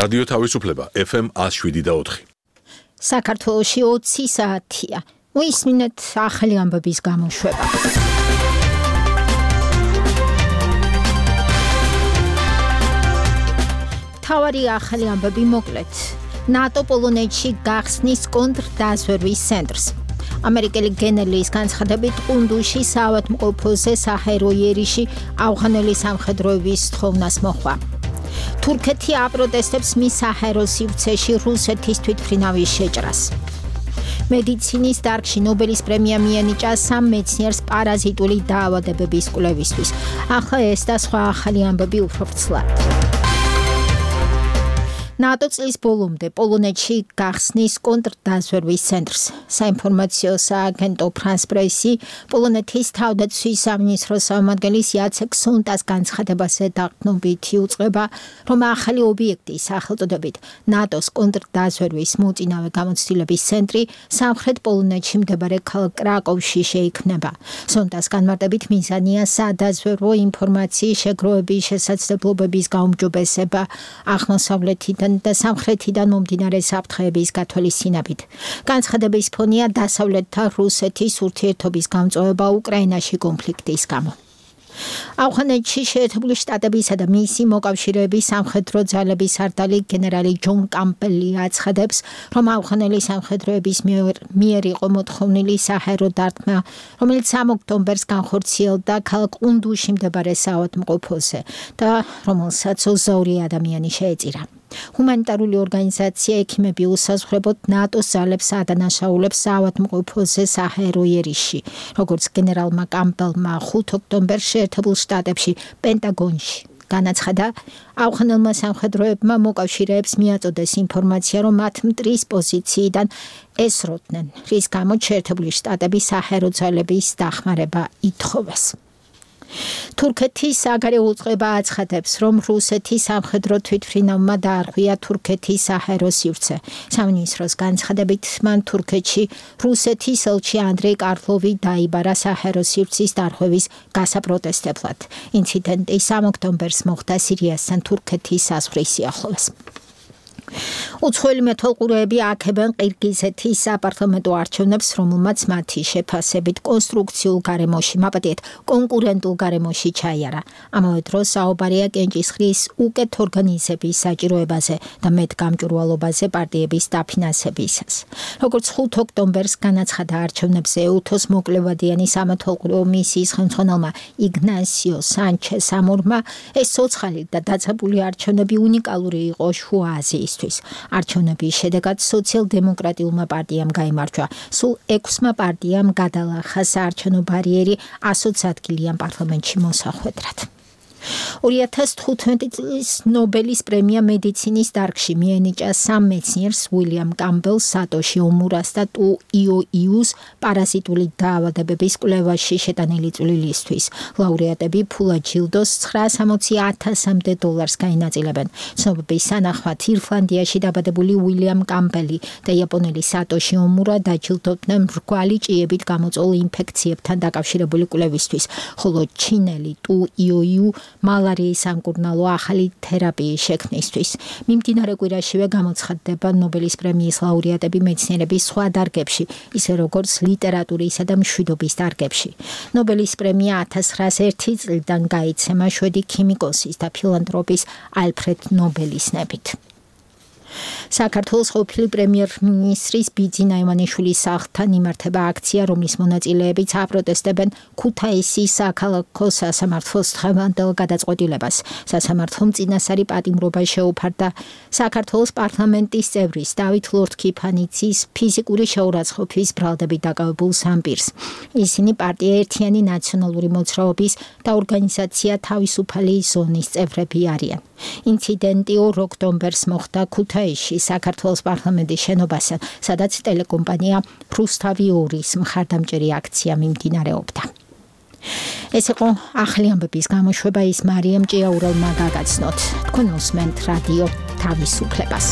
რადიო თავისუფლება FM 107.4. საქართველოში 20 საათია. მოისმინეთ ახალი ამბების გამოშვება. თავარი ახალი ამბები მოკლედ. ნატო პოლონეთში გახსნის კონტრდაზვერვის ცენტრს. ამერიკელი გენერლის განცხადებით ყუნდუში საავადმყოფოზე საჰაერო იერიში ავღანელი სამხედროების თხოვნას მოხდა. თურქეთი აპროტესტებს მის საჰაერო სივრცეში რუსეთის თვითმფრინავის შეჭრას. მედიცინის დარგში ნობელის პრემია მიენიჭა 3 მეცნიერს პარაზიტული დაავადებების კვლევისთვის. ახლა ეს და სხვა ახალი ამბები უფრო ვრცლად. ნატო წლის ბოლომდე პოლონეთში გახსნის კონტრდაზვერვის ცენტრს. საინფორმაციო სააგენტო ფრანს პრესი პოლონეთის თავდაცვის სამინისტროს წარმომადგენლის იაცეკ სონტას განცხადებაზე დაყრდნობითი უწყება, რომ ახალი ობიექტი სახელწოდებით ნატოს კონტრდაზვერვის მოწინავე გამოცდილების ცენტრი სამხრეთ პოლონეთში მდებარე ქალაქ კრაკოვში შეიქმნება. სონტას განმარტებით მიზანია სადაზვერვო ინფორმაციის შეგროვების შესაძლებლობების გაუმჯობესება აღმოსავლეთიდან და სამხრეთიდან მომდინარე საფრთხეების გათვალისწინებით. განცხადების ფონია დასავლეთთან რუსეთის ურთიერთობის გამწვავება უკრაინაში კონფლიქტის გამო. ავღანეთში შეერთებული შტატებისა და მისი მოკავშირეების სამხედრო ძალების სარდალი გენერალი ჯონ კამპელი აცხადებს, რომ ავღანელი სამხედროების მიერ იყო მოთხოვნილი საჰაერო დარტყმა, რომელიც 3 ოქტომბერს განხორციელდა ქალაქ ყუნდუში მდებარე საავადმყოფოზე და რომელსაც 22 ადამიანი შეეწირა. ჰუმანიტარული ორგანიზაცია ექიმები უსაზღვრებოდ ნატოს ძალებს ადანაშაულებს საავადმყოფოზე საჰაერო იერიში, როგორც გენერალმა კამპელმა 5 ოქტომბერს შეერთებულ შტატებში პენტაგონში განაცხადა, ავღანელმა სამხედროებმა მოკავშირეებს მიაწოდეს ინფორმაცია, რომ მათ მტრის პოზიციიდან ესროდნენ, რის გამოც შეერთებული შტატები საჰაერო ძალების დახმარება ითხოვეს. თურქეთის საგარეო უწყება აცხადებს, რომ რუსეთის სამხედრო თვითმფრინავმა დაარღვია თურქეთის საჰაერო სივრცე. სამინისტროს განცხადებით, მან თურქეთში რუსეთის ელჩი ანდრეი კარლოვი დაიბარა საჰაერო სივრცის დარღვევის გასაპროტესტებლად. ინციდენტი 3 ოქტომბერს მოხდა სირიასთან თურქეთის საზღვრის სიახლოვეს. უცხოელი მეთვალყურეები აქებენ ყირგიზეთის საპარლამენტო არჩევნებს, რომელმაც მათი შეფასებით კონსტრუქციულ გარემოში, მაპატიეთ, კონკურენტულ გარემოში ჩაიარა. ამავე დროს საუბარია კენჭისყრის უკეთ ორგანიზების საჭიროებაზე და მეტგამჭვირვალობაზე პარტიების დაფინანსებისას. როგორც 5 ოქტომბერს განაცხადა არჩევნებზე ეუთოს მოკლევადიანი სამეთვალყურეო მისიის ხელმძღვანელმა იგნასიო სანჩეს ამორმა, ეს ცოცხალი და დაძაბული არჩევნები უნიკალური იყო შუა აზიისთვის. არჩევნების შედეგად სოციალ-დემოკრატიულმა პარტიამ გაიმარჯვა. სულ 6 პარტიამ გადალახა საარჩევნო ბარიერი 120 ადგილიან პარლამენტში მოსახვედრად. 2015 წლის ნობელის პრემია მედიცინის დარგში მიენიჭა 3 მეცნიერს უილიამ კამბელს, სატოში ომურას და ტუ იოიუს პარაზიტული დაავადებების კვლევაში შეტანილი წვლილისთვის. ლაურეატები ფულად ჯილდოს $960,000-მდე გაინაწილებენ. ცნობების სანახმად ირლანდიაში დაბადებული უილიამ კამბელი და იაპონელი სატოში ომურა დაჯილდოვდნენ მრგვალი ჭიებით გამოწვეულ ინფექციებთან დაკავშირებული კვლევისთვის, ხოლო ჩინელი ტუ იოიუ მალარიის სამკურნალო ახალი თერაპიის შექმნისთვის. მიმდინარე კვირაშივე გამოცხადდება ნობელის პრემიის ლაურეატები მეცნიერების სხვა დარგებში, ისე როგორც ლიტერატურისა და მშვიდობის დარგებში. ნობელის პრემია 1901 წლიდან გაიცემა შვედი ქიმიკოსის და ფილანთროპის ალფრედ ნობელის ნებით. საქართველოს ყოფილი პრემიერ-მინისტრის ბიძინა ივანიშვილის სახლთან იმართება აქცია, რომლის მონაწილეებიც აპროტესტებენ ქუთაისის საქალაქო სასამართლოს დღევანდელ გადაწყვეტილებას. სასამართლომ წინასწარი პატიმრობა შეუფარდა საქართველოს პარლამენტის წევრის დავით ლორთქიფანიძის ფიზიკური შეურაცხყოფის ბრალდებით დაკავებულ სამპირს. ისინი პარტია ერთიანი ნაციონალური მოძრაობის და ორგანიზაცია თავისუფალი ზონის წევრები არიან. ინციდენტი 2 ოქტომბერს მოხდა ქუთაისში საქართველოს პარლამენტის შენობასთან, სადაც ტელეკომპანია რუსთავი 2-ის მხარდამჭერი აქცია მიმდინარეობდა. ეს იყო ახალი ამბების გამოშვება, ის მარიამ ჭიაურელმა გაგაცნოთ. თქვენ უსმენთ რადიო თავისუფლებას.